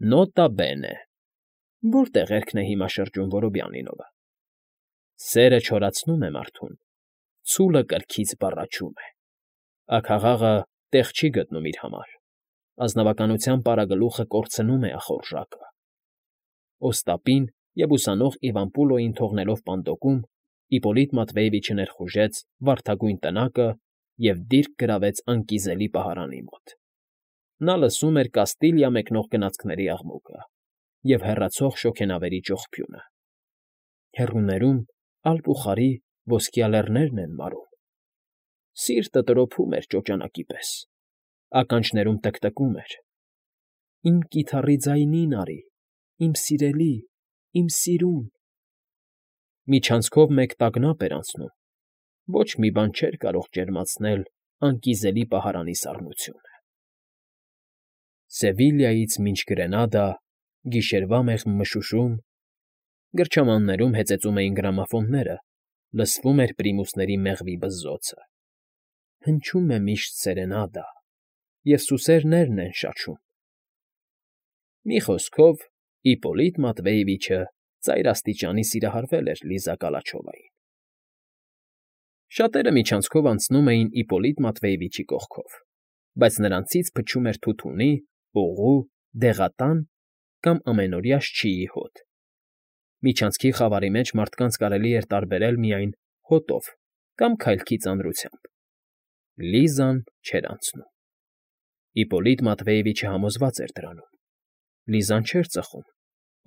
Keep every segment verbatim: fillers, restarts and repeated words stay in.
Նոտա բենե, որտե՞ղ էրգն է հիմա շրջում Որոբյանինովը։ Սերը չորացնում է մարդուն, ցուլը կրքից բառաչում է, աքաղաղը տեղ չի գտնում իր համար, ազնվականության պարագլուխը կորցնում է ախորժակը։ Օստապին և ուսանող Իվան Պուլոյին թողնելով պանդոկում, Իպոլիտ Մատվեևիչը ներխուժեց վարդագույն տնակը և դիրք գրավեց անկիզելի պահարանի մոտ։ Նա լսում էր Կաստիլիա մեկնող գնացքների աղմուկը և հեռացող շոգենավերի ճողփյունը։ Հեռուներում ալպուխարի ոսկյա լեռներն են մարում։ Սիրտը տրոփում էր ճոճանակի պես, ականջներում տկտկում էր. «Իմ կիթառի ձայնին արի, իմ սիրելի, իմ սիրուն»։ Միջանցքով մեկ տագնապ էր անցնում, ոչ մի բան չէր կարող ջերմացնել անկիզելի պահարանի սառնությունը։ Սևիլյայից մինչ Գրենադա, գիշերվա մեղմ մշուշում, գրչամաններում հեծեծում էին գրամոֆոնները, լսվում էր պրիմուսների մեղվի բզզոցը. հնչում է միշտ սերենադա, և սուսերներն են շաչում։ Մի խոսքով, Իպոլիտ Մատվեևիչը ծայրաստիճանի սիրահարվել էր Լիզա Կալաչովային։ Շատերը միջանցքով անցնում էին Իպոլիտ Մատվեևիչի կողքով, բայց նրանցից փչում էր թութունի, օղու, դեղատան կամ ամենօրյա շչիի հոտ։ Միջանցքի խավարի մեջ մարդկանց կարելի էր տարբերել միայն հոտով կամ քայլքի ծանրությամբ։ Լիզան չէր անցնում։ Իպոլիտ Մատվեևիչը համոզված էր դրանում։ Լիզան չէր ծխում,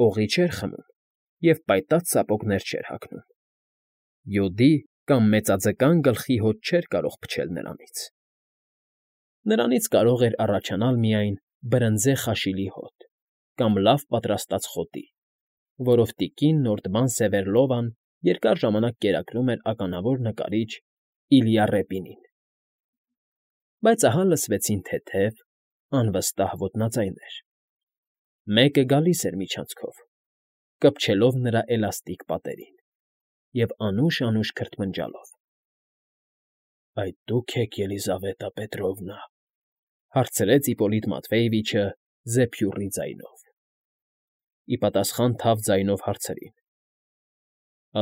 օղի չէր խմում և պայտած սապոգներ չէր հագնում։ Յոդի կամ մեծաձկան գլխի հոտ չէր կարող փչել նրանից։ Նրանից կարող էր առաջանալ միայն բրնձե խաշիլի հոտ կամ լավ պատրաստած խոտի, որով տիկին Նորդման Սևերլովան երկար ժամանակ կերակրում էր ականավոր նկարիչ Իլյա Ռեպինին։ Բայց ահա լսվեցին թեթև, անվստահ ոտնաձայներ։ Մեկը գալիս էր միջանցքով, կպչելով նրա էլաստիկ պատերին և անուշ֊անուշ քրթմնջալով։ ֊ Այդ դու՞ք եք, Ելիզավետա Պետրովնա,֊ հարցրեց Իպոլիտ Մատվեևիչը զեփյուռի ձայնով։ Ի պատասխան թավ ձայնով հարցրին.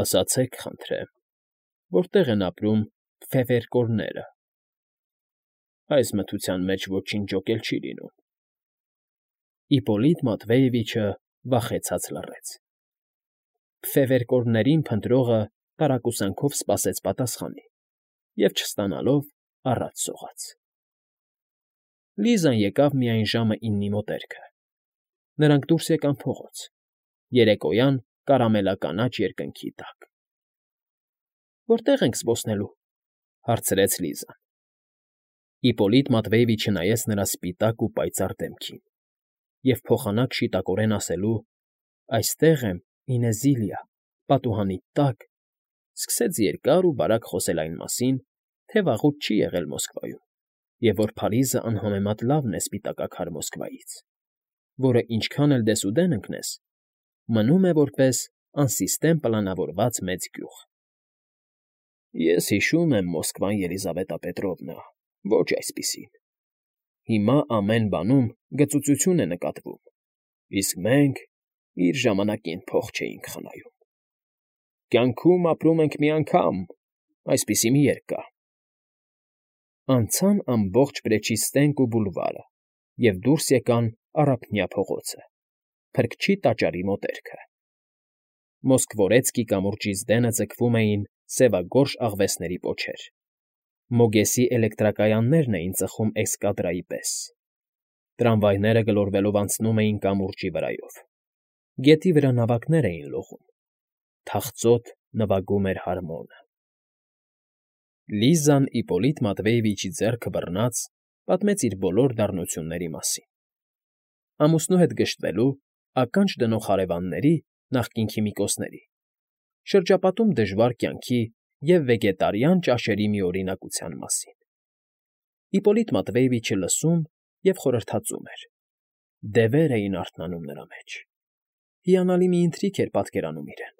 ասացեք, խնդրեմ, որտե՞ղ են ապրում Ֆևերկորները։ Այս մթության մեջ ոչինչ ջոկել չի լինում։ Իպոլիտ Մատվեևիչը վախեցած լռեց։ Ֆևերկորներին փնտրողը տարակուսանքով սպասեց պատասխանի և, չստանալով, առաջ սողաց։ Լիզան եկավ միայն ժամը իննի մոտերքը։ Նրանք դուրս եկան փողոց, երեկոյան կարամելականաչ երկնքի տակ։ ֊ Որտե՞ղ ենք զբոսնելու,֊ հարցրեց Լիզան։ Իպոլիտ Մատվեևիչը նայեց նրա սպիտակ ու պայծառ դեմքին և փոխանակ շիտակորեն ասելու «այստեղ եմ, Ինեզիլիա, պատուհանիդ տակ», սկսեց երկար ու բարակ խոսել այն մասին, թե վաղուց չի եղել Մոսկվայում և որ Փարիզը անհամեմատ լավն է սպիտակաքար Մոսկվայից, որը ինչքան էլ դեսուդեն ընկնես, մնում է որպես անսիստեմ պլանավորված մեծ գյուղ։ Ես հիշում եմ Մոսկվան, Ելիզավետա Պետրովնա, ոչ այսպիսին։ Հիմա ամեն բանում գծուծություն է նկատվում, իսկ մենք իր ժամանակին փող չէինք խնայում։ Կյանքում ապրում ենք մի անգամ, այսպիսի մի երգ կա. Անցան ամբողջ Պրեչիստենկո բուլվարը և դուրս եկան Առափնյա փողոցը, Փրկչի տաճարի մոտերքը։ Մոսկվորեցկի կամուրջից դենը ձգվում էին սևագորշ աղվեսների պոչեր, Մոգեսի էլեկտրակայաններն էին ծխում էսկադրայի պես։ Տրամվայները գլորվելով անցնում էին կամուրջի վրայով։ Գետի վրա նավակներ էին լողում։ Թախծոտ նվագում էր հարմոնը։ Լիզան Իպոլիտ Մատվեևիչի ձեռքը բռնած պատմեց իր բոլոր դառնությունների մասին։ Ամուսնու հետ գժտվելու, ականջ դնող հարևանների, նախկին քիմիկոսների, շրջապատում դժվար կյանքի և վեգետարիան ճաշերի միօրինակության մասին։ Իպոլիտ Մատվեևիչը լսում և խորհրդածում էր։ Դևեր էին արթնանում նրա մեջ։ Հիանալի մի ընթրիք էր պատկերանում իրեն։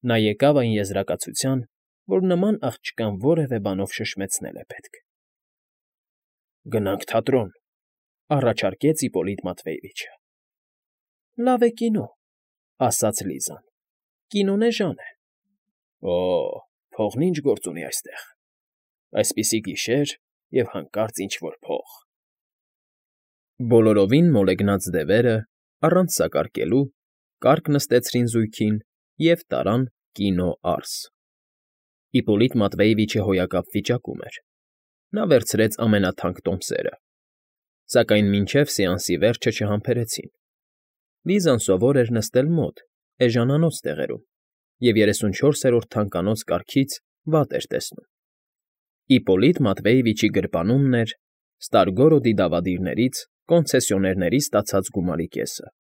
Նա եկավ այն եզրակացության, որ նման աղջկան որևէ բանով շշմեցնել է պետք։ ֊ Գնանք թատրոն,֊ առաջարկեց Իպոլիտ Մատվեևիչը։ Լավ է կինո, ասաց Լիզան։ Կինոն էժան է։ Օ՜, փողն ինչ գործ ունի այստեղ։ Այսպիսի գիշեր և հանկարծ ինչ֊որ փող։ Բոլորովին մոլեգնած դևերը, առանց սակարկելու, կառք նստեցրին զույգին և տարան կինո արս։ Իպպոլիտ Մատվեևիչը հոյակապ վիճակում էր։ Նա վերցրեց ամենաթանկ տոմսերը։ Սակայն մինչև սեանսի վերջը չհամբերեցին։ Լիզան սովոր էր նստել մոտ, էժանանոց տեղերում, և երեսունչորսերորդ թանկանոց կարգից վատ էր տեսնում։ Իպպոլիտ Մատվեևիչի գրպանումն էր Ստարգորոդի դավադիրներից կոնցեսիոներների ստացած գումարի կեսը։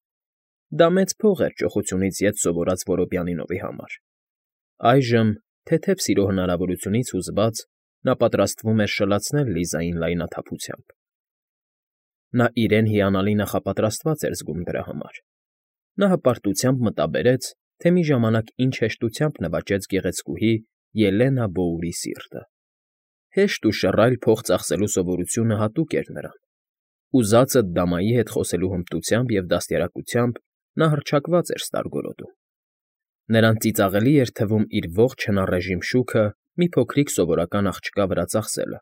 Դա մեծ փող էր ճոխությունից ետ սովորած Որոբյանինովի համար։ Այժմ, թեթև սիրո հնարավորությունից հուզված, նա պատրաստվում էր շլացնել Լիզային լայնաթափությամբ։ Նա իրեն հիանալի նախապատրաստված էր զգում դրա համար։ Նա հպարտությամբ մտաբերեց, թե մի ժամանակ ինչ հեշտությամբ նվաճեց գեղեցկուհի Ելենա Բոուրի սիրտը։ Հեշտ ու շռայլ փող ծախսելու սովորությունը հատուկ էր նրան։ Ուզածդ դամայի հետ խոսելու հմտությամբ և դաստիարակությամբ նա հռչակված էր Ստարգորոդում։ Նրան ծիծաղելի էր թվում իր ողջ հնարժիմ շուքը մի փոքրիկ սովորական աղջկա վրա ծախսելը,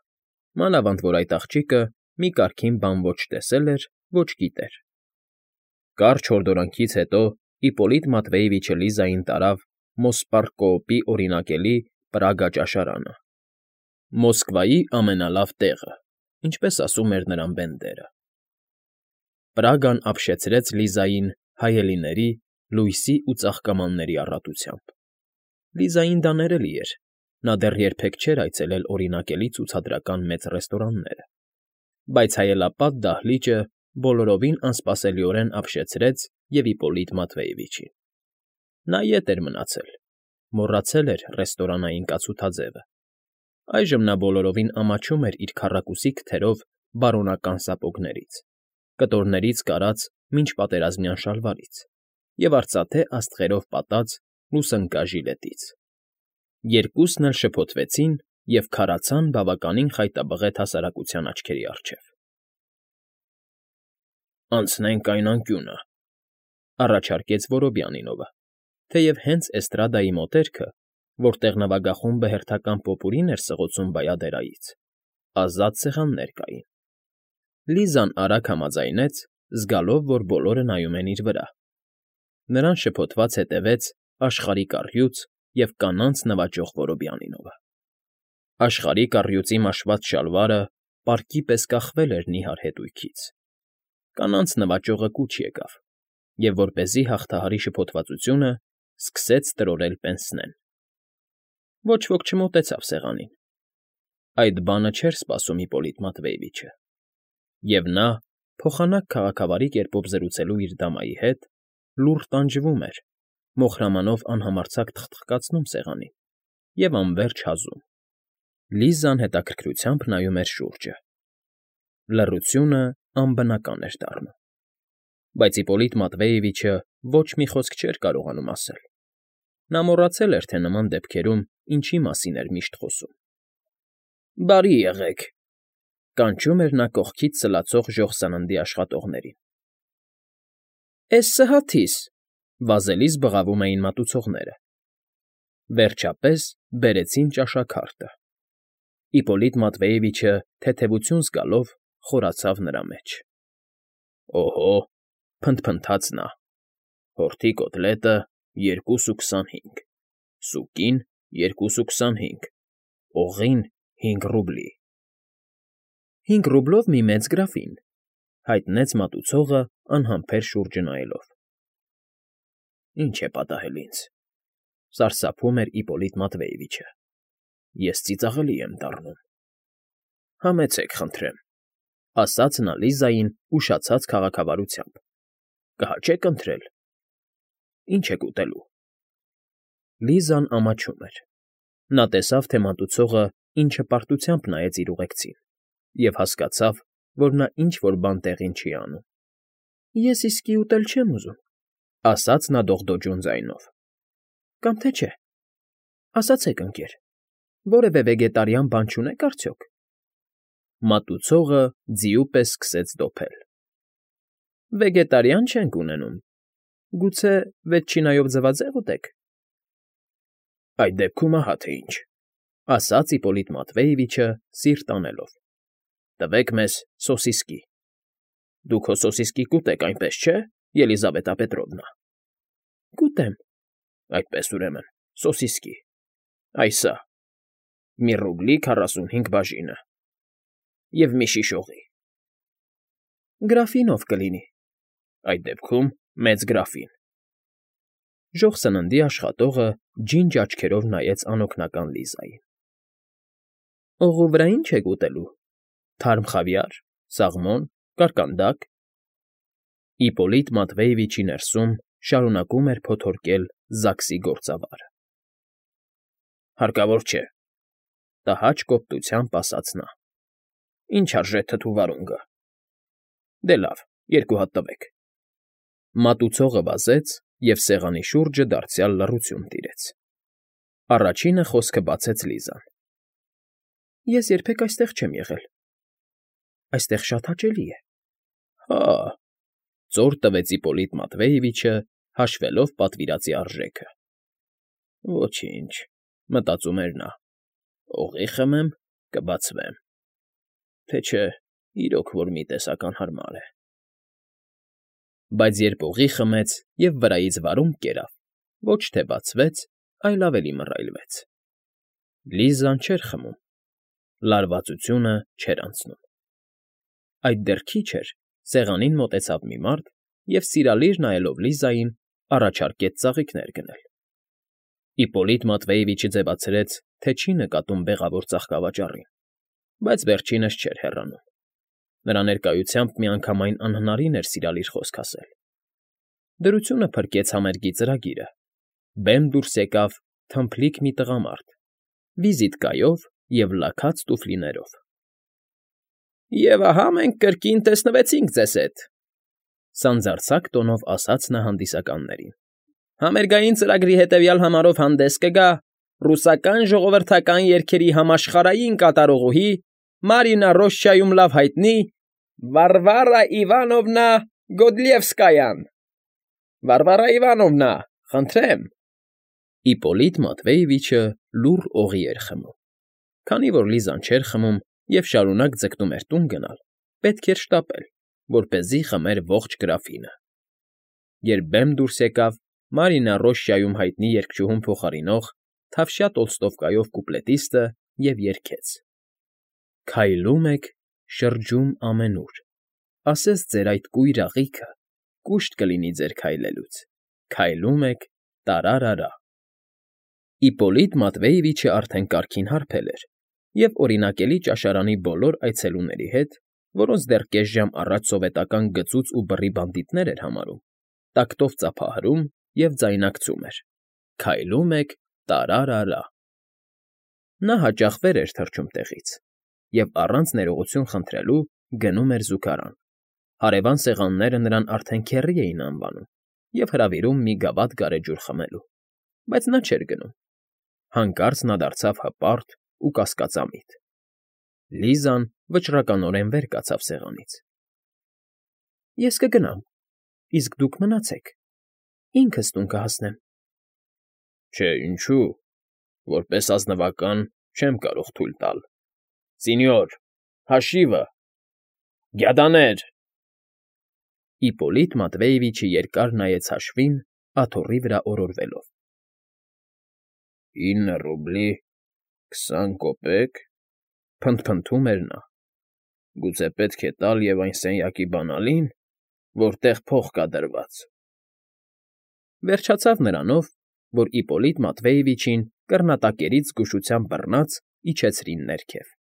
մանավանդ որ այդ աղջիկը մի կարգին բան ոչ տեսել էր, ոչ գիտեր։ Կարճ հորդորանքից հետո Իպպոլիտ Մատվեևիչը Լիզային տարավ Մոսպարկոոպի օրինակելի Պրագա ճաշարանը։ Մոսկվայի ամենալավ տեղը, ինչպես ասում էր նրան Բենդերը։ Պրագան ապշեցրեց Լիզային հայելիների, լույսի ու ծաղկամանների առատությամբ։ Լիզային դա ներելի էր, նա դեռ երբեք չէր այցելել օրինակելի ցուցադրական մեծ ռեստորանները։ Բայց հայելապատ դահլիճը բոլորովին անսպասելիորեն ապշեցրեց և Իպպոլիտ Մատվեևիչին։ Նա ետ էր մնացել, մոռացել էր ռեստորանային կացութաձևը։ Այժմ նա բոլորովին ամաչում էր իր քառակուսիկ թրով բարոնական սապոգներից, կտորներից կարած մինչ պատերազմյան շալվարից և արծաթե աստղերով պատած լուսնկա ժիլետից։ Երկուսն էլ շփոթվեցին և քարացան բավականին խայտաբղետ հասարակության աչքերի առջև։ ֊ Անցնենք այն անկյունը,֊ առաջարկեց Որոբյանինովը, թեև հենց էստրադայի մոտերքը, որտեղ նվագախումբը հերթական պոպուրին էր սղոցում բայադերայից, ազատ սեղաններ կային։ Լիզան արագ համաձայնեց, զգալով, որ բոլորը նայում են իր վրա։ Նրան շփոթված հետևեց աշխարհի կառյուծ և կանանց նվաճող Որոբյանինովը։ Աշխարհի կառյուծի մաշված շալվարը պարկի պես կախվել էր նիհար հետույքից։ Կանանց նվաճողը կուչ եկավ և, որպեսզի հաղթահարի շփոթվածությունը, սկսեց տրորել պենսնեն։ Ոչ ոք չմոտեցավ սեղանին։ Այդ բանը չէր սպասում Իպպոլիտ Մատվեևիչը։ Եվ նա, փոխանակ քաղաքավարի կերպով զրուցելու իր դամայի հետ, լուռ տանջվում էր, մոխրամանով անհամարձակ թխթխկացնում սեղանին և անվերջ հազում։ Լիզան հետաքրքրությամբ նայում էր շուրջը։ Լռությունը անբնական էր դառնում։ Բայց Իպպոլիտ Մատվեևիչը ոչ մի խոսք չէր կարողանում ասել։ Նա մոռացել էր, թե նման դեպքերում ինչի մասին էր միշտ խոսում։ ֊ Բարի եղեք,֊ կանչում էր նա կողքից սլացող ժոխ սննդի աշխատողներին։ ֊ Էս սհաթիս,֊ վազելիս բղավում էին մատուցողները։ Վերջապես բերեցին ճաշաքարտը։ Իպպոլիտ Մատվեևիչը, թեթևություն զգալով, խորացավ նրա մեջ։ ֊ Օհո,֊ փնթփնթաց նա,֊ հորթի կոտլետը երկուս ու քսանհինգ, սուկին երկուս ու քսանհինգ, օղին հինգ ռուբլի։ ֊ Հինգ ռուբլով մի մեծ գրաֆին,֊ հայտնեց մատուցողը անհամբեր շուրջը նայելով։ ֊ Ի՞նչ է պատահել ինձ,֊ սարսափում էր Իպպոլիտ Մատվեևիչը։֊ Ես ծիծաղելի եմ դառնում։ ֊ Համեցեք, խնդրեմ,֊ ասաց նա Լիզային ուշացած քաղաքավարությամբ։֊ Կհաճե՞ք ընթրել։ ֊ Ի՞նչ եք ուտելու։ Լիզան ամաչում էր։ Նա տեսավ, թե մատուցողը ինչ հպարտությամբ նայեց իր ուղեկցին և հասկացավ, որ նա ինչ֊որ բան տեղին չի անում։ ֊ Ես իսկի ուտել չեմ ուզում,֊ ասաց նա դողդոջուն ձայնով։ ֊ Կամ թե չէ։ Ասացեք, ընկեր, որևէ վեգետարիան բան չունե՞ք արդյոք։ Մատուցողը ձիու պես սկսեց դոփել։ ֊ Վեգետարիան չենք ունենում, Գուցե վեցչինայով ձվածե՞ղ ուտեք։ ֊ Այդ դեպքում ահա թե ինչ,֊ ասաց Իպոլիտ Մատվեևիչը, սիրտ անելով,֊ տվեք մեզ սոսիսկի։ Դուք հո սոսիսկի կուտեք, այնպես չէ՞, Ելիզավետա Պետրովնա։ ֊ Կուտեմ։ ֊ Այդպես, ուրեմն, սոսիսկի, այ սա, մի ռուբլի քառասունհինգ բաժինը և մի շիշ օղի։ ֊ Գրաֆինով կլինի։ ֊ Այդ դեպքում մեծ գրաֆին։ Ժոխ սննդի աշխատողը ջինջ աչքերով նայեց անօգնական Լիզային։ ֊ Օղու վրա ի՞նչ եք ուտելու, թարմ խավիա՞ր, սաղմոն, կարկանդակ… Իպոլիտ Մատվեևիչի ներսում շարունակում էր փոթորկել Զաքսի գործավարը։ ֊ Հարկավոր չէ,֊ տհաճ կոպտությամբ ասաց նա։ ֊ Ինչ արժե թթու վարունգը։ ֊ Դե լավ, երկու հատ տվեք։ Մատուցողը վազեց, և սեղանի շուրջը դարձյալ լռություն տիրեց։ Առաջինը խոսքը բացեց Լիզան։ ֊ Ես երբեք այստեղ չեմ եղել։ ֊ Այստեղ շատ հաճելի է։ ֊ Հա՜,֊ ծոր տվեց Իպոլիտ Մատվեևիչը, հաշվելով պատվիրածի արժեքը։ ֊ Ոչինչ,֊ մտածում էր նա,֊ օղի խմեմ, կբացվեմ, թե չէ իրոք որ մի տեսակ անհարմար է… Բայց երբ օղի խմեց և վրայից վարունգ կերավ, ոչ թե բացվեց, այլ ավելի մռայլվեց։ Լիզան չէր խմում, լարվածությունը չէր անցնում։ Այդ դեռ քիչ էր, սեղանին մոտեցավ մի մարդ և, սիրալիր նայելով Լիզային, առաջարկեց ծաղիկներ գնել։ Իպոլիտ Մատվեևիչը ձևացրեց, թե չի նկատում բեղավոր ծաղկավաճառին, բայց վերջինս չէր հեռանում։ Նրա ներկայությամբ միանգամայն անհնարին էր սիրալիր խոսք ասել։ Դրությունը փրկեց համերգի ծրագիրը. բեմ դուրս եկավ թմփլիկ մի տղամարդ, վիզիտկայով և լաքած տուֆլիներով։ ֊ Եվ ահա մենք կրկին տեսնվեցինք ձեզ հետ,֊ սանձարձակ տոնով ասաց նա հանդիսականներին։ ֊ Համերգային ծրագրի հետևյալ համարով հանդես կգա ռուսական ժողովրդական երգերի համաշխարհային կատարողուհի, Մարինա Ռոշչայում լավ հայտնի Վարվարա Իվանովնա Գոդլիևսկայան… Վարվարա Իվանովնա, խնդրեմ… Իպոլիտ Մատվեևիչը լուռ օղի էր խմում։ Քանի որ Լիզան չէր խմում և շարունակ ձգտում էր տուն գնալ, պետք էր շտապել, որպեսզի խմեր ողջ գրաֆինը։ Երբ բեմ դուրս եկավ Մարինա Ռոշչայում հայտնի երգչուհուն փոխարինող թավշյա Տոլստովկայով կուպլետիստը և երգեց. Քայլում եք, շրջում ամենուր, ասես ձեր այդ կույր աղիքը կուշտ կլինի ձեր քայլելուց, քայլում եք, տարարարա… Իպոլիտ Մատվեևիչը արդեն կարգին հարբել էր և օրինակելի ճաշարանի բոլոր այցելուների հետ, որոնց դեռ կես ժամ առաջ սովետական գծուծ ու բռի բանդիտներ էր համարում, տակտով ծափահարում և ձայնարկում էր. Քայլում եք, տարարարա… Նա հաճախ վեր էր թռչում տեղից և, առանց ներողություն խնդրելու, գնում էր զուգարան։ Հարևան սեղանները նրան արդեն քեռի էին անվանում և հրավիրում մի գավաթ գարեջուր խմելու, բայց նա չէր գնում։ Հանկարծ նա դարձավ հպարտ ու կասկածամիտ։ Լիզան վճռականորեն վեր կացավ սեղանից։ ֊ Ես կգնամ, իսկ դուք մնացեք, ինքս տուն կհասնեմ։ ֊ Չէ, ինչու, որպես ազնվական չեմ կարող թույլ տալ… Սենյոր, հաշիվը… Գյադաներ… Իպոլիտ Մատվեևիչը երկար նայեց հաշվին, աթոռի վրա օրորվելով։ ֊ Ինը ռուբլի քսան կոպեկ,֊ փնթփնթում էր նա։֊ Գուցե պետք է տալ և այն սենյակի բանալին, որտեղ փող կա դրված… Վերջացավ նրանով, որ Իպոլիտ Մատվեևիչին կռնատակերից զգուշությամբ բռնած իջեցրին ներքև։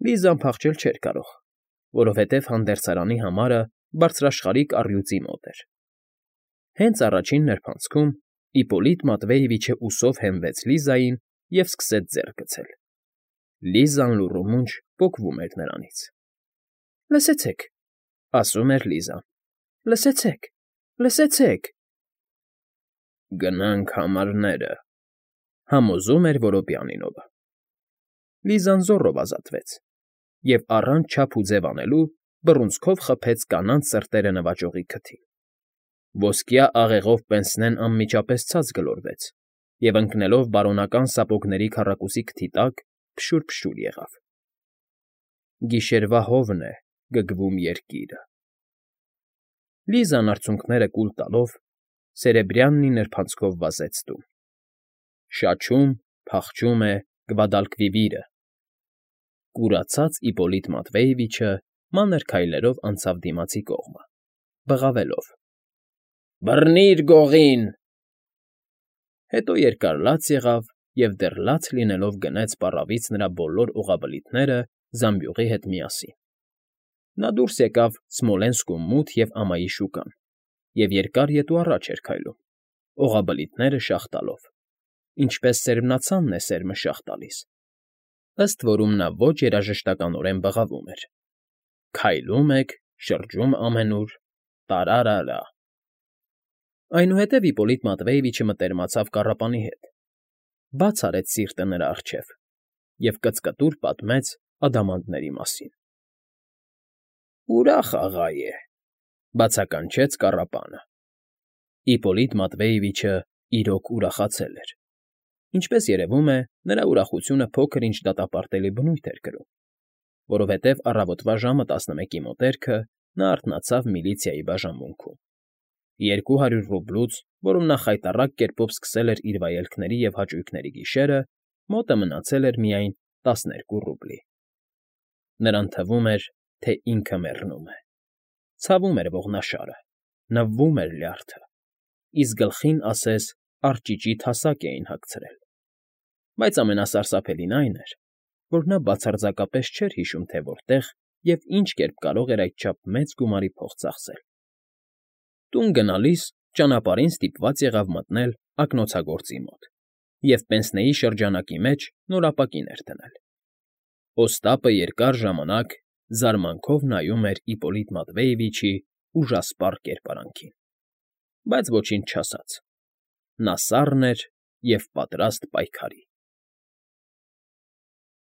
Լիզան փախչել չէր կարող, որովհետև հանդերձարանի համարը բարձրաշխարհիկ առյուծի մոտ էր։ Հենց առաջին նրբանցքում Իպոլիտ Մատվեևիչը ուսով հենվեց Լիզային և սկսեց ձեռք գցել։ Լիզան լուռումունջ պոկվում էր նրանից։ ֊ Լսեցե՛ք,֊ ասում էր Լիզան,֊ լսեցե՛ք, լսեցե՛ք… Գնանք համարները…֊ համոզում էր Որոպյանինովը։ Լիզան զոռով ազատվեց և, առանց չափ ու ձև անելու, բռունցքով խփեց կանանց սրտերը նվաճողի քթին։ Ոսկյա աղեղով Պենսնեն անմիջապես ցած գլորվեց և, ընկնելով բարոնական սապոգների քառակուսի քթի տակ, փշուր֊փշուր եղավ։ Գիշերվա հովն է գգվում երկիրը… Լիզան արցունքները կուլ տալով սերեբրյաննի նրբանցքով վազեց տուն. շաչում, փախչում է Գվադալկվիվիրը… Կուրացած Իպոլիտ Մատվեևիչը մանր քայլերով անցավ դիմացի կողմը, բղավելով. «Բռնի՛ր գողին»։ Հետո երկար լաց եղավ և դեռ լաց լինելով գնեց պառավից նրա բոլոր օղաբլիթները զամբյուղի հետ միասին. նա դուրս եկավ Սմոլենսկու մութ և ամայի շուկան և երկար ետ ու առաջ էր քայլում, օղաբլիթները շաղ տալով, ինչպես սերմնացանն է սերմը շաղ տալիս, ըստ որում նա ոչ երաժշտականորեն բղավում էր. Քայլում եք, շրջում ամենուր, տարա՛րա՛րա… Այնուհետև Իպոլիտ Մատվեևիչը մտերմացավ կառապանի հետ, բաց արեց սիրտը նրա առջև և կծկտուր պատմեց ադամանդների մասին։ ֊ Ուրախ աղա է,֊ բացականչեց կառապանը։ Իպոլիտ Մատվեևիչը իրոք ուրախացել էր. ինչպես երևում է, նրա ուրախությունը փոքր֊ինչ դատապարտելի բնույթ էր կրում, որովհետև առավոտվա ժամը տասնմեկի մոտերքը նա արթնացավ միլիցիայի բաժանմունքում. երկու հարյուր ռուբլուց, որում նա խայտառակ կերպով սկսել էր իր վայելքների և հաճույքների գիշերը, մոտը մնացել էր միայն տասներկու ռուբլի… Նրան թվում էր, թե ինքը մեռնում է, ցավում էր ողնաշարը, նվվում էր լյարդը, իսկ գլխին ասես արճիճի թասակ էին հագցրել… Բայց ամենասարսափելին այն էր, որ նա բացարձակապես չէր հիշում, թե որտեղ և ինչ կերպ կարող էր այդչափ մեծ գումարի փող ծախսել… Տուն գնալիս ճանապարհին ստիպված եղավ մտնել ակնոցագործի մոտ և պենսնեի շրջանակի մեջ նոր ապակին էր դնել… Օստապը երկար ժամանակ զարմանքով նայում էր Իպոլիտ Մատվեևիչի ուժասպառ կերպարանքին, բայց ոչինչ չասաց. նա սառն էր և պատրաստ պայքարի։